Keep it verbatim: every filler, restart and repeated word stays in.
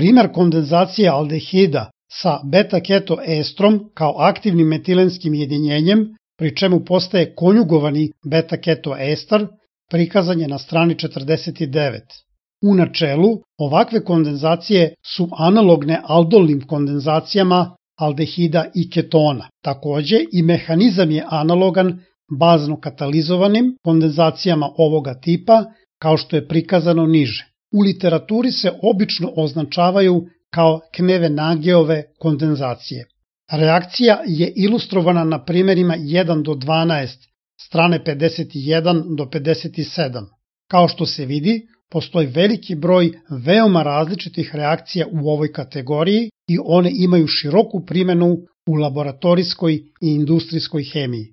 Primer kondenzacije aldehida sa beta-ketoestrom kao aktivnim metilenskim jedinjenjem, pri čemu postaje konjugovani beta-ketoester, prikazan je na strani četrdeset devet. U načelu, ovakve kondenzacije su analogne aldolnim kondenzacijama aldehida i ketona. Takođe, i mehanizam je analogan bazno katalizovanim kondenzacijama ovoga tipa, kao što je prikazano niže. U literaturi se obično označavaju kao Kneve-Nageove kondenzacije. Reakcija je ilustrovana na primerima jedan do dvanaest, strane pedeset jedan do pedeset sedam. Kao što se vidi, postoji veliki broj veoma različitih reakcija u ovoj kategoriji i one imaju široku primenu u laboratorijskoj i industrijskoj hemiji.